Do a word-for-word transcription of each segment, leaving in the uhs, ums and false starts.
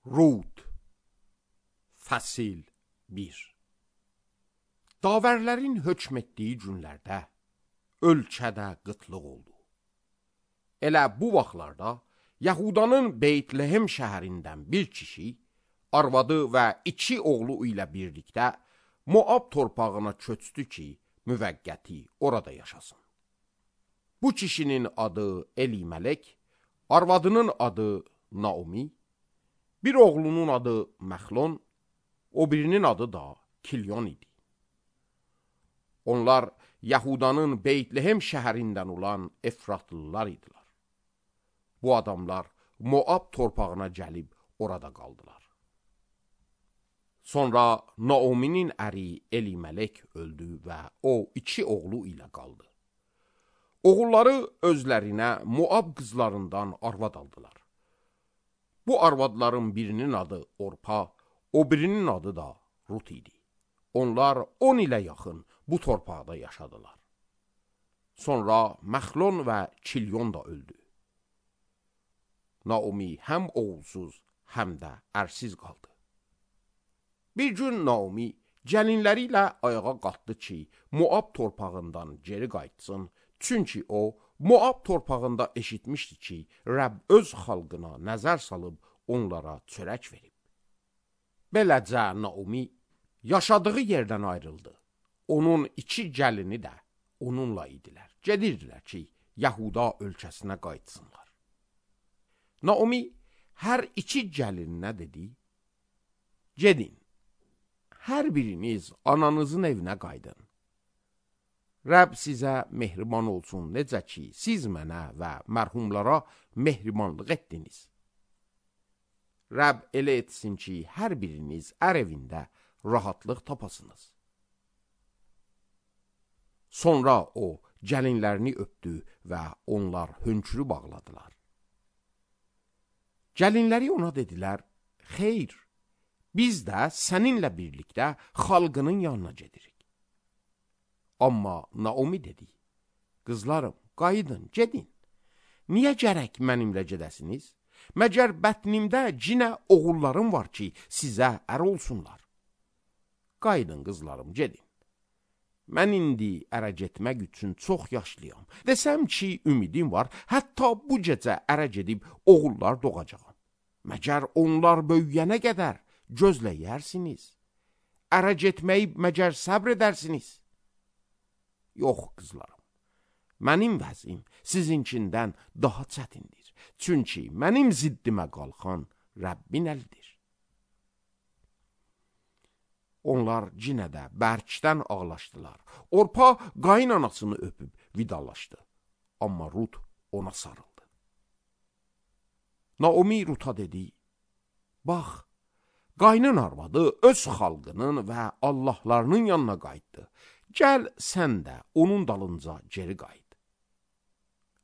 Rud Fəsil bir. Davərlərin hökm etdiyi günlərdə ölkədə qıtlıq oldu. Elə bu vaxtlarda Yahudanın Beytlehem şəhərindən bir kişi, arvadı və iki oğlu ilə birlikdə Moab torpağına köçdü ki, müvəqqəti orada yaşasın. Bu kişinin adı Elimelek, arvadının adı Naomi, bir oğlunun adı Məxlon, o birinin adı da Kilyon idi. Onlar Yahudanın Beytlehem şəhərindən olan Efratlılar idilər. Bu adamlar Moab torpağına gəlib orada qaldılar. Sonra Naomi'nin əri Elimelek öldü və o iki oğlu ilə qaldı. Oğulları özlərinə Moab qızlarından arvad aldılar. Bu arvadların birinin adı Orpa, o birinin adı da Rut idi. Onlar on ilə yaxın bu torpaqda yaşadılar. Sonra Məxlon və Kilyon da öldü. Naomi həm oğulsuz, həm də ərsiz qaldı. Bir gün Naomi gəlinləri ilə ayağa qalxdı ki, Moab torpağından geri qayıtsın, çünki o, Moab torpağında eşitmişdi ki, Rəbb öz xalqına nəzər salıb onlara çörək verib. Beləcə Naomi yaşadığı yerdən ayrıldı. Onun iki gəlini də onunla idilər. Gedirdilər ki, Yahuda ölkəsinə qayıtsınlar. Naomi hər iki gəlininə dedi, gedin, hər biriniz ananızın evinə qaydın. Rəbb sizə mehriban olsun, necə ki, siz mənə və mərhumlara mehribanlıq etdiniz. Rəbb elə etsin ki, hər biriniz ər evində rahatlıq tapasınız. Sonra o, gəlinlərini öpdü və onlar hönkürü bağladılar. Gəlinləri ona dedilər, xeyr, biz də səninlə birlikdə xalqının yanına gedirik. Amma Naomi dedi, qızlarım, qayıdın, gedin. Niyə gərək mənimlə gedəsiniz? Məgər bətnimdə cinə oğullarım var ki, sizə ər olsunlar. Qayıdın, qızlarım, gedin. Mən indi ərə getmək üçün çox yaşlıyam. Desəm ki, ümidim var, hətta bu gecə ərə gedib oğullar doğacağam. Məgər onlar böyüyənə qədər gözləyərsiniz. Ərə getməyi məgər səbr edərsiniz. Yox, qızlarım, mənim vəzim sizinkindən daha çətindir. Çünki mənim ziddimə qalxan Rəbbin əlidir. Onlar yenə də bərkdən ağlaşdılar. Orpa qaynanasını öpüb vidalaşdı. Amma Rut ona sarıldı. Naomi Rut'a dedi, bax, qaynın arvadı öz xalqının və Allahlarının yanına qayıtdı. Gəl sən də onun dalınca geri qayıt.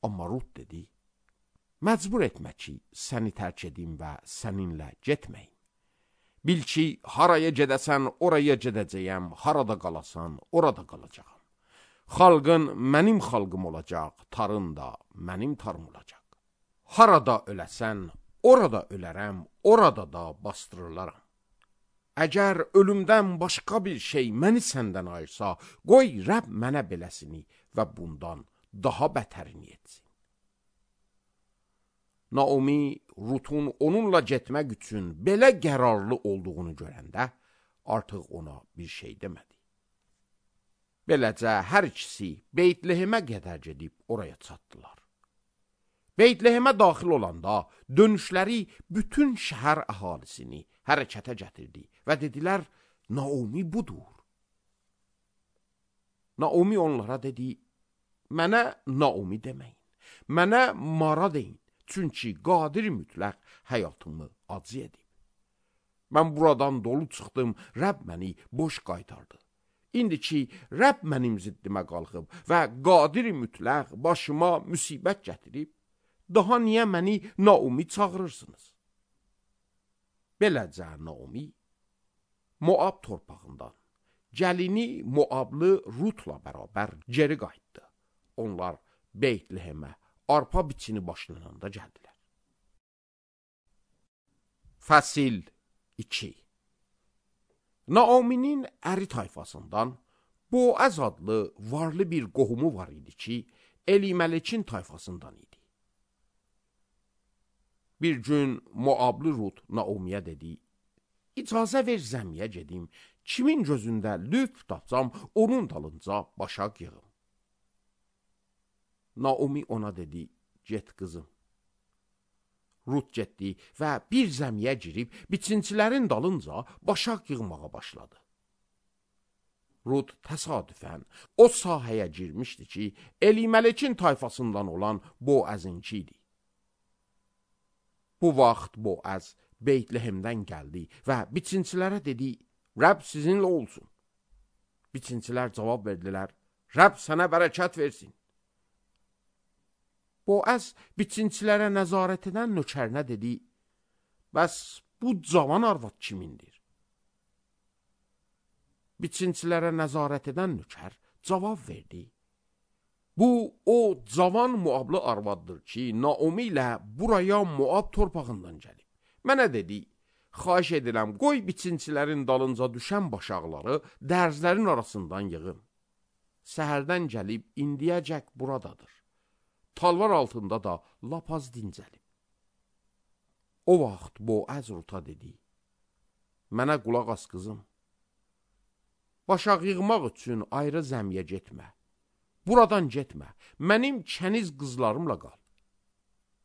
Amma Rut dedi, məcbur etmə ki, səni tərk edim və səninlə getməyim. Bil ki, haraya gedəsən, oraya gedəcəyəm, harada qalasan, orada qalacağam. Xalqın mənim xalqım olacaq, tarın da mənim tarım olacaq. Harada öləsən, orada ölərəm, orada da bastırılaram. Əgər ölümdən başqa bir şey məni səndən ayırsa, qoy Rəbb mənə beləsini və bundan daha bətərini etsin. Naomi, Rut'un onunla getmək üçün belə qərarlı olduğunu görəndə, artıq ona bir şey demədi. Beləcə, hər ikisi Beytlehemə qədər gedib oraya çatdılar. Beytlehemə daxil olanda dönüşləri bütün şəhər əhalisini hərəkətə gətirdi və dedilər, Naomi budur. Naomi onlara dedi, mənə Naomi deməyin, mənə Mara deyin, çünki qadir mütləq həyatımı acı edib. Mən buradan dolu çıxdım, Rəbb məni boş qaytardı. İndi ki, Rəbb mənim ziddimə qalxıb və qadir mütləq başıma müsibət gətirib, daha niyə məni Naomi çağırırsınız? Beləcə Naomi Moab torpağından gəlini Moablı Rut'la bərabər geri qayıtdı. Onlar Beytlehemə arpa biçini başlananda gəldilər. Fəsil iki. Naominin əri tayfasından Boaz adlı varlı bir qohumu var idi ki, Eliməlekin tayfasından idi. Bir gün Moablı Rut Naomiyə dedi, icazə ver zəmiyə gedim, kimin gözündə lütf tapsam, onun dalınca başaq yığım. Naomi ona dedi, get qızım. Rut getdi və bir zəmiyə girib, biçincilərin dalınca başaq yığmağa başladı. Rut təsadüfən o sahəyə girmişdi ki, Eliməlekin tayfasından olan Boazınki idi. Bu vaxt Boaz Beytlehemdən gəldi və biçincilərə dedi, Rəbb sizinlə olsun. Biçincilər cavab verdilər, Rəbb sənə bərəkət versin. Boaz biçincilərə nəzarət edən nökərinə dedi, bəs bu cavan arvad kimindir? Biçincilərə nəzarət edən nökər cavab verdi, bu o cavan Moablı arvaddır ki, Naomi ilə buraya Moab torpağından gəlib. Mənə dedi, xahiş edirəm, qoy biçincilərin dalınca düşən başaqları dərzlərin arasından yığım. Səhərdən gəlib indiyəcək buradadır. Talvar altında da lap az dincəlib. O vaxt Boaz Ruta dedi, mənə qulaq as qızım. Başaq yığmaq üçün ayrı zəmiyə getmə. Buradan getmə, mənim kəniz qızlarımla qal.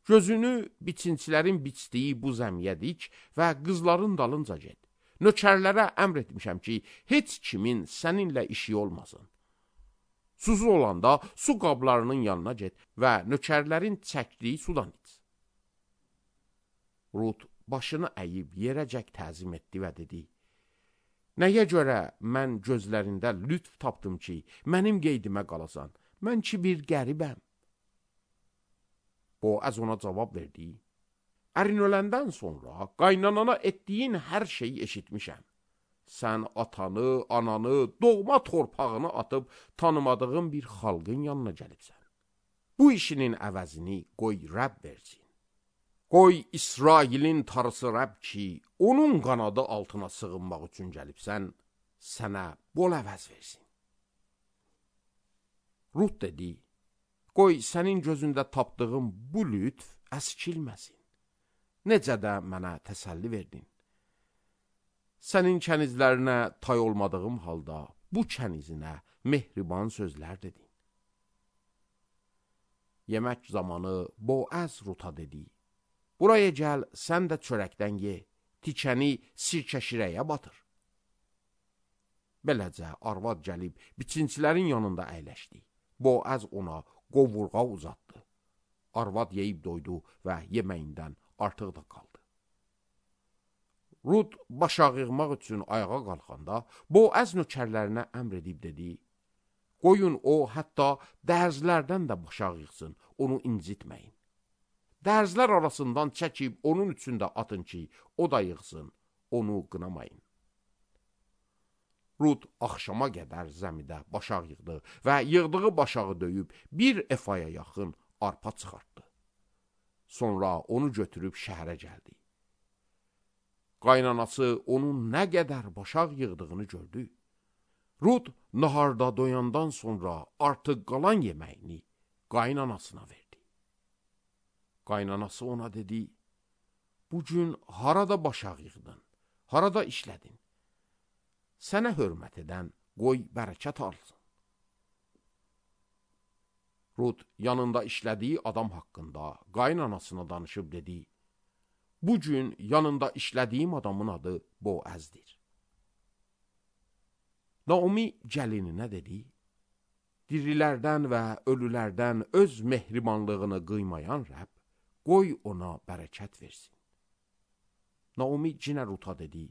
Gözünü biçincilərin biçdiyi bu zəmiyə dik və qızların dalınca get. Nökərlərə əmr etmişəm ki, heç kimin səninlə işi olmasın. Susuz olanda su qablarının yanına get və nökərlərin çəkdiyi sudan iç. Rut başını əyib yerəcək təzim etdi və dedi, nəyə görə mən gözlərində lütf tapdım ki, mənim qeydimə qalasan, mən ki bir qəribəm. Boaz ona cavab verdi, ərin öləndən sonra qaynanana etdiyin hər şeyi eşitmişəm. Sən atanı, ananı, doğma torpağını atıb tanımadığın bir xalqın yanına gəlibsən. Bu işinin əvəzini qoy Rəbb versin. Qoy İsrailin tarısı Rəbb ki, onun qanadı altına sığınmaq üçün gəlibsən, sənə bol əvəz versin. Rut dedi, qoy sənin gözündə tapdığım bu lütf əskilməsin. Necə də mənə təsəlli verdin. Sənin kənizlərinə tay olmadığım halda bu kənizinə mehriban sözlər dedin. Yemək zamanı Boaz Ruta dedi, buraya gəl, sən də çörəkdən ye, tikəni sirkə şirəyə batır. Beləcə arvad gəlib biçincilərin yanında əyləşdi. Boaz ona qovurğa uzatdı. Arvad yeyib doydu və yeməyindən artıq da qaldı. Rut başaq yığmaq üçün ayağa qalxanda, Boaz nökərlərinə əmr edib dedi, qoyun o hətta dərzlərdən də başaq yığsın, onu incitməyin. Dərzlər arasından çəkib onun üçün də atın ki, o da yığsın, onu qınamayın. Rut axşama qədər zəmidə başaq yığdı və yığdığı başağı döyüb bir efaya yaxın arpa çıxartdı. Sonra onu götürüb şəhərə gəldi. Qaynanası onun nə qədər başaq yığdığını gördü. Rut naharda doyandan sonra artıq qalan yeməyini qaynanasına verdi. Qaynanası ona dedi, bu gün harada başaq yığdın, harada işlədin? Sənə hörmət edən qoy bərəkət alsın. Rut yanında işlədiyi adam haqqında qaynanasına danışıb dedi, bu gün yanında işlədiyim adamın adı Boazdir. Naomi gəlininə dedi, dirilərdən və ölülərdən öz mehribanlığını qıymayan Rəbb, qoy ona bərəkət versin. Naomi cinə Ruta dedi,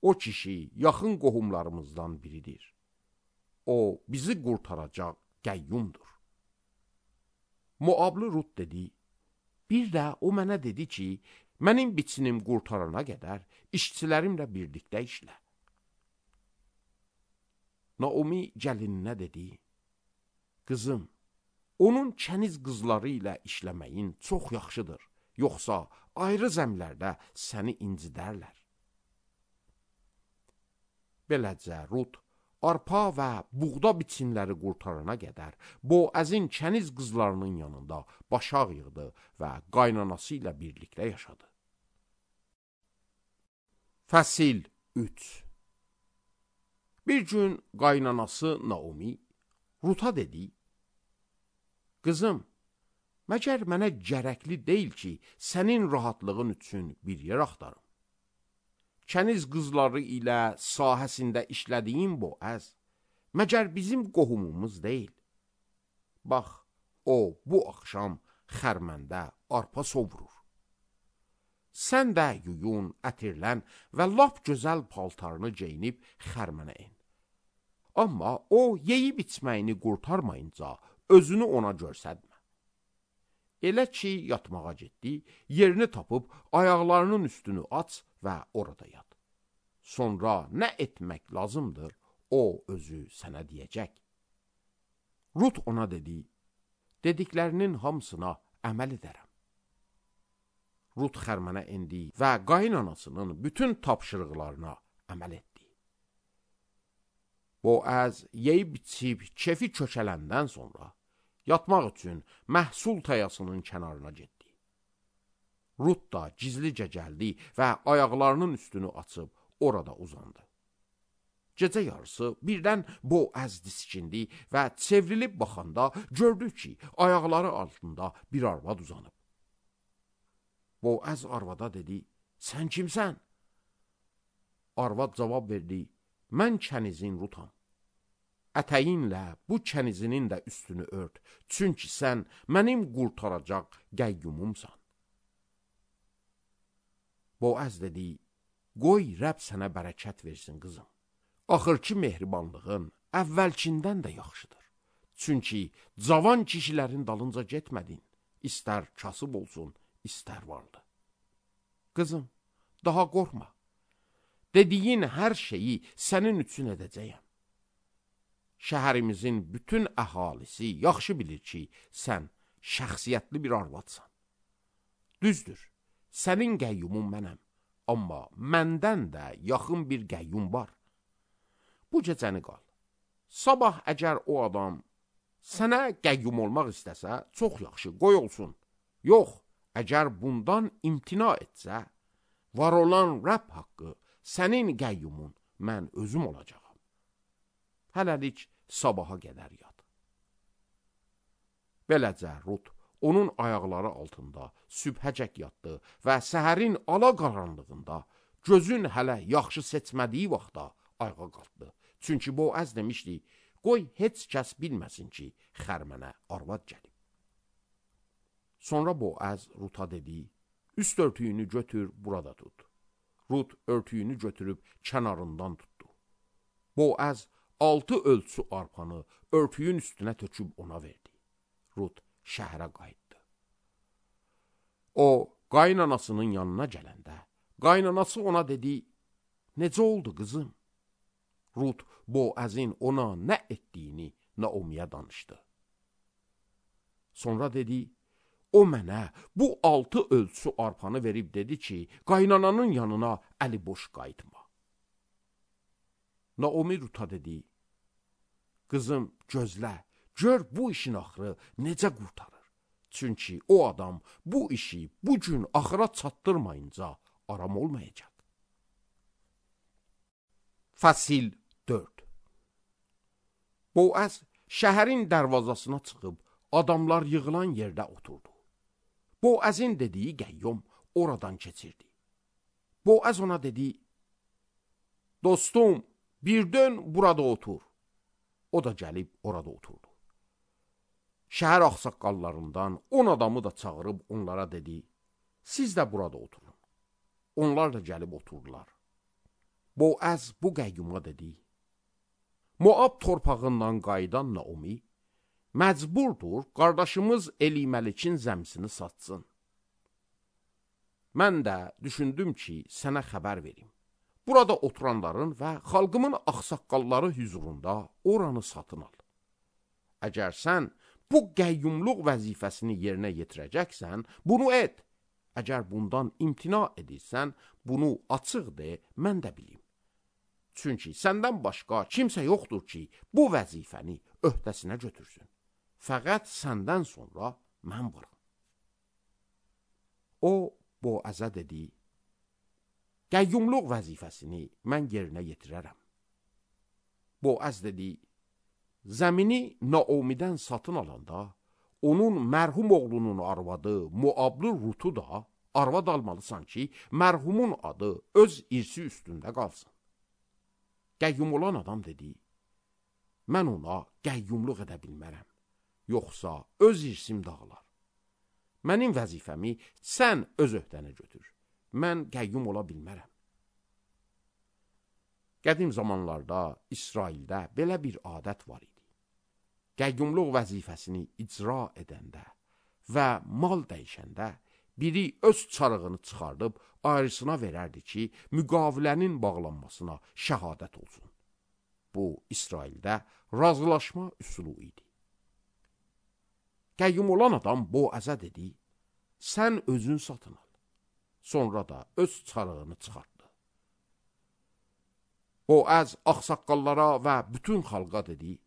o kişi yaxın qohumlarımızdan biridir. O bizi qurtaracaq qəyyumdur. Moablı Rut dedi, bir də o mənə dedi ki, mənim biçinim qurtarana qədər işçilərimlə birlikdə işlə. Naomi gəlininə dedi, qızım, onun kəniz qızları ilə işləməyin çox yaxşıdır, yoxsa ayrı zəmlərdə səni incidərlər. Beləcə Rut arpa və buğda biçinləri qurtarana qədər Boazin kəniz qızlarının yanında başaq yığdı və qaynanası ilə birlikdə yaşadı. Fəsil üç. Bir gün qaynanası Naomi Rut'a dedi: "Qızım, məgər mənə gərəkli deyil ki, sənin rahatlığın üçün bir yer axtarım. Kəniz qızları ilə sahəsində işlədiyim Boaz, məgər bizim qohumumuz deyil? Bax, o bu axşam xərməndə arpa sovurur. Sən də yuyun, ətirlən və lap gözəl paltarını geyinib xərmənə in. Amma o yeyib içməyini qurtarmayınca özünü ona görsədmə. Elə ki, yatmağa getdi, yerini tapıb ayaqlarının üstünü aç və orada yat. Sonra nə etmək lazımdır, o özü sənə deyəcək." Rut ona dedi: "Dediklərinin hamısına əməl edərəm." Rut xərmənə indi və qaynanasının bütün tapşırıqlarına əməl etdi. Boaz yeyib içib kefi kökələndən sonra yatmaq üçün məhsul tayasının kənarına getdi. Rut da gizlicə gəldi və ayaqlarının üstünü açıb orada uzandı. Gecə yarısı birdən Boaz diskindi və çevrilib baxanda gördü ki, ayaqları altında bir arvad uzanıb. Boaz arvada dedi: "Sən kimsən?" Arvad cavab verdi: "Mən kənizin Rutam. Ətəyinlə bu kənizinin də üstünü ört, çünki sən mənim qurtaracaq qəyyumumsan." Boaz dedi: "Qoy Rəbb sənə bərəkət versin, qızım. Axırki mehribanlığın əvvəlkindən də yaxşıdır. Çünki cavan kişilərin dalınca getmədin, istər kasıb olsun, istər varlı. Qızım, daha qorxma. Dediyin hər şeyi sənin üçün edəcəyəm. Şəhərimizin bütün əhalisi yaxşı bilir ki, sən şəxsiyyətli bir arvadsan. Düzdür, sənin qəyyumun mənəm, amma məndən də yaxın bir qəyyum var. Bu gecəni qal. Sabah əgər o adam sənə qəyyum olmaq istəsə, çox yaxşı, qoy olsun. Yox, əgər bundan imtina etsə, var olan Rəbb haqqı sənin qəyyumun mən özüm olacağam. Hələlik sabaha qədər yat." Beləcə Rut onun ayaqları altında sübhəcək yatdı və səhərin ala qaranlığında gözün hələ yaxşı seçmədiyi vaxtda ayağa qalxdı. Çünki Boaz demişdi: "Qoy heç kəs bilməsin ki, xərmənə arvad gəlib." Sonra Boaz Rut'a dedi: "Üst örtüyünü götür, burada tut." Rut örtüyünü götürüb kənarından tutdu. Boaz altı ölçü arpanı örtüyün üstünə töküb ona verdi. Rut şəhərə qayıtdı. O, qaynanasının yanına gələndə, qaynanası ona dedi: "Necə oldu, qızım?" Rut, Boazin ona nə etdiyini Naomiyə danışdı. Sonra dedi: "O mənə bu altı ölçü arpanı verib dedi ki, qaynananın yanına əli boş qayıtma." Naomi Rut'a dedi: "Qızım, gözlə, gör bu işin axırı necə qurtarır. Çünki o adam bu işi bu gün axıra çatdırmayınca aram olmayacaq." Fəsil dörd. Boaz şəhərin dərvazasına çıxıb adamlar yığılan yerdə oturdu. Boazin dediyi qəyyum oradan keçirdi. Boaz ona dedi: "Dostum, bir dön burada otur." O da gəlib orada oturdu. Şəhər ağsaqqallarından on adamı da çağırıb onlara dedi: "Siz də burada oturun." Onlar da gəlib oturdular. Boaz bu qəyyuma dedi: "Moab torpağından qayıdan Naomi məcburdur qardaşımız Eliməlikin zəmsini satsın. Mən də düşündüm ki, sənə xəbər verim. Burada oturanların və xalqımın ağsaqqalları hüzurunda oranı satın al. Əgər sən bu qəyyumluq vəzifəsini yerinə yetirəcəksən, bunu et. Əgər bundan imtina edirsən, bunu açıq de, mən də bilim. Çünki səndən başqa kimsə yoxdur ki, bu vəzifəni öhdəsinə götürsün. Fəqət səndən sonra mən varam. O, Boazə dedi, qəyyumluq vəzifəsini mən yerinə yetirərəm. Boaz dedi, zəmini Naomidən satın alanda, onun mərhum oğlunun arvadı Moablı Rutu da arvad almalısan ki, mərhumun adı öz irsi üstündə qalsın. Qəyyum olan adam dedi, mən ona qəyyumluq edə bilmərəm, yoxsa öz irsim dağılar. Mənim vəzifəmi sən öz öhdənə götür, mən qəyyum ola bilmərəm. Qədim zamanlarda İsraildə belə bir adət var idi. Qəyyumluq vəzifəsini icra edəndə və mal dəyişəndə biri öz çarığını çıxardıb ayrısına verərdi ki, müqavilənin bağlanmasına şəhadət olsun. Bu, İsraildə razılaşma üsulu idi. Qəyyum olan adam Boazə dedi, sən özün satın al. Sonra da öz çarığını çıxartdı. Boaz ağsaqqallara və bütün xalqa dedi,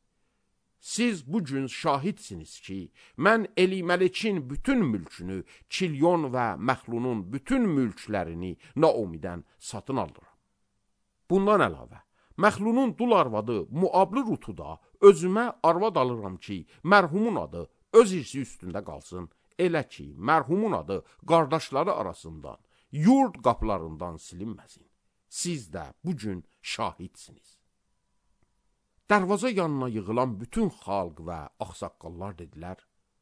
siz bu gün şahidsiniz ki, mən Elimelekin bütün mülkünü, Kilyon və Məxlunun bütün mülklərini Naomidən satın alıram. Bundan əlavə, Məxlunun dul arvadı Moablı Rutu da özümə arvad alıram ki, mərhumun adı öz irsi üstündə qalsın, elə ki, mərhumun adı qardaşları arasından, yurd qapılarından silinməsin. Siz də bu gün şahidsiniz. Dərvaza yanına yığılan bütün xalq və ağsaqqallar dedilər,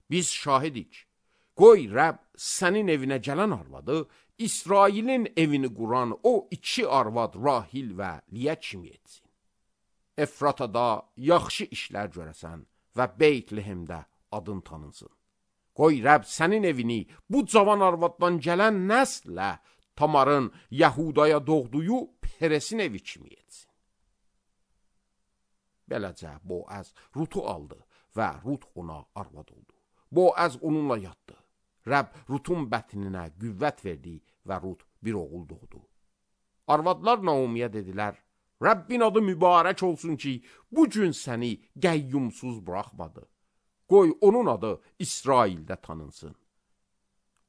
biz şahidik, qoy Rəbb sənin evinə gələn arvadı, İsrailin evini quran o iki arvad Rahil və Liyə kimi etsin. Efratada yaxşı işlər görəsən və Beytlehemdə adın tanınsın. Qoy Rəbb sənin evini bu cavan arvaddan gələn nəslə Tamarın Yahudaya doğduğu Peresin evi kimi etsin. Beləcə Boaz Rutu aldı və Rut ona arvad oldu. Boaz onunla yatdı. Rəbb Rutun bətninə qüvvət verdi və Rut bir oğul doğdu. Arvadlar Naomiyə dedilər, Rəbbin adı mübarək olsun ki, bu gün səni qəyyumsuz buraxmadı. Qoy onun adı İsraildə tanınsın.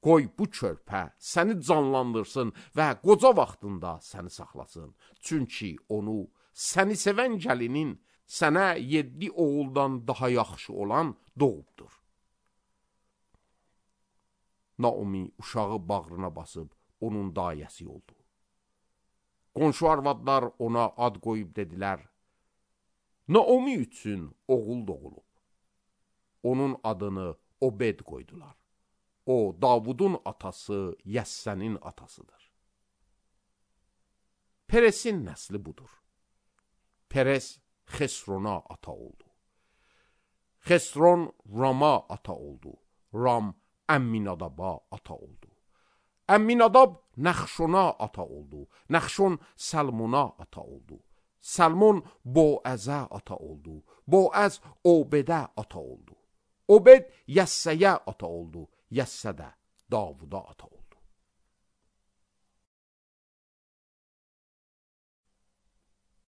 Qoy bu körpə səni canlandırsın və qoca vaxtında səni saxlasın. Çünki onu səni sevən gəlinin sənə yeddi oğuldan daha yaxşı olan doğubdur. Naomi uşağı bağrına basıb onun dayəsi oldu. Qonşu arvadlar ona ad qoyub dedilər, Naomi üçün oğul doğulub. Onun adını Obed qoydular. O, Davudun atası, Yəssənin atasıdır. Peresin nəsli budur. Peres Xesrona ata oldu. Xesron Rama ata oldu. Ram Əmminadaba ata oldu. Əmminadab Nəxşona ata oldu. Nəxşon Salmona ata oldu. Salmon Boazə ata oldu. Boaz Obedə ata oldu. Obed Yəssəyə ata oldu. Yəssə də Davuda ata oldu.